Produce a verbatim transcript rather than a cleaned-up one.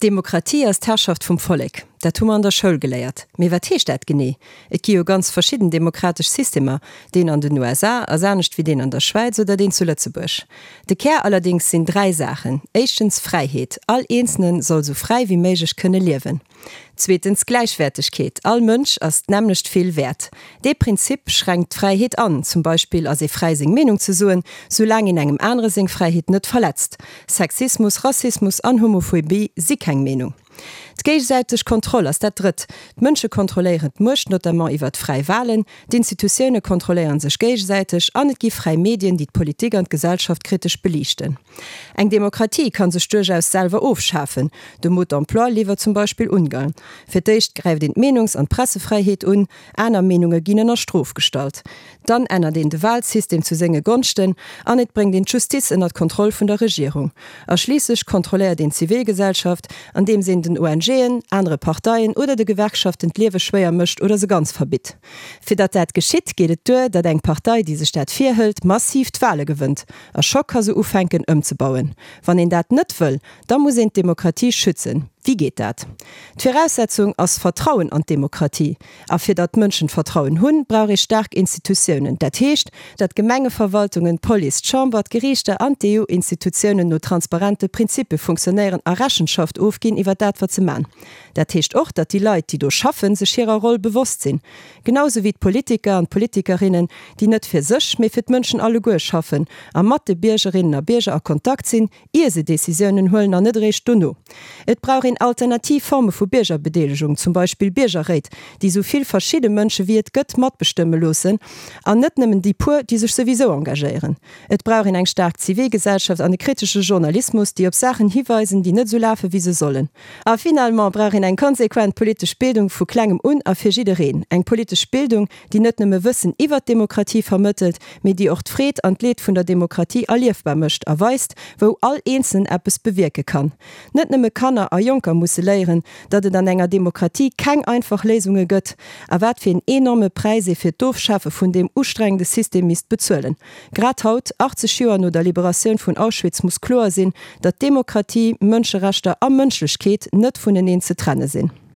Demokratie ass d'Herrschaft vum Vollek. Dat hu mer an der Schoul geléiert. Mee wat heescht dat genee? Et gi jo ganz verschidden demokratesch Systemer, deen an den U S A ass anescht wéi deen an der Schwäiz oder deen zu Lëtzebuerg. De Kär allerdéngs sinn dräi Saachen. Éischtens Fräiheet. All Eenzelne soll sou fräi wéi méiglech kënne liewen. Zweetens Gläichwäertegkeet. All Mënsch ass d'nämmlecht vill wäert. Dee Prinzip schränkt d'Fräiheet an. Zum Beispill ass ee fräi seng Meenung ze soen, soulaang een engem anere seng Fräiheet net verletzt. Sexismus, Rassismus an Homophobie si keng Meenung. D'géigesäiteg Kontroll ass dat Drëtt. D'Mënsche kontrolléieren d'Muecht, notamment iwwer fräi Walen, d'Institutioune kontrolléiere sech géigesäiteg an et gi fräi Medien, déi d'Politik an d'Gesellschaft kritesch beliichten. Eng Demokratie kann sech duerchaus selwer ofschafen. De Mode d'emploi liwwert zum Beispill Ungarn. Fir d'éischt gräift een d'Meenungs an d'Pressefräiheet un, aner Meenunge ginn ënner Strof gestallt. Dann ännert een de Walsystem zu senge Gonschten an et bréngt een d'Justiz ënner d'Kontroll vun der Regierung. A schliisslech kontrolléiert een d'Zivilgesellschaft, andeems een den O N G'en, anere Parteien oder de Gewerkschaften d'Liewe schwéier mécht oder se ganz verbitt. Fir datt dat geschitt, geet et duer, datt eng Partei, déi sech dat virhëlt, massiv d'Wale gewënnt. A scho ka se ufänken ëmzebauen. Wann een dat net wëll, da muss een d'Demokratie schützen. Wéi geet dat? D'Viraussetzung ass Vertrauen an d'Demokratie. A fir datt d'Mënschen Vertrauen hunn, brauch ee staark Institutiounen. Dat heescht, datt Gemengeverwaltungen, d'Police, d'Chamber, d'Geriichter an d'E U-Institutiounen no transparente Prinzippe funktionéieren a Rechenschaft ofginn iwwer dat, wat se man. Dat heescht och, datt déi Leit, déi do schaffen, sech hirer Roll bewosst sinn. Genau sou wéi d'Politiker an d'Politikerinnen, déi net fir sech, mee fir d'Mënschen alleguer schaffen a mat de Biergerinnen a Bierger a Kontakt sinn, ier se Decisiounen huelen an net eréischt dono. Et brauch een alternativ Forme vu Biergerbedeelegung, zum Beispill Biergerréit, déi sou vill verschidde Mënsche wéi et gëtt matbestëmme loossen an net nëmmen déi puer, déi sech souwisou engagéieren. Et brauch een eng staark Zivilgesellschaft an e kritesche Journalismus, déi op Saachen hiweisen, déi net sou lafe wéi se sollen. A finalement brauch een eng konsequent politesch Bildung vu klengem un a fir jiddereen. Eng politesch Bildung, déi net nëmme Wëssen iwwer d'Demokratie vermëttelt, mee déi och d'Freed an d'Leed vun der Demokratie erliefbar mécht a weist, wou all Eenzelnen eppes bewierke kann. Net nëmme Kanner a Jonker musse léieren, datt et an enger Demokratie keng einfach Léisunge gëtt a wat fir en enorme Präis ee fir d'Ofschafe vun deem ustrengende System misst bezuelen. Grad haut, achtzeg Joer no der Liberatioun vun Auschwitz, muss kloer sinn, datt Demokratie, Mënscherechter a Mënschlechkeet net vuneneen ze trenne sinn.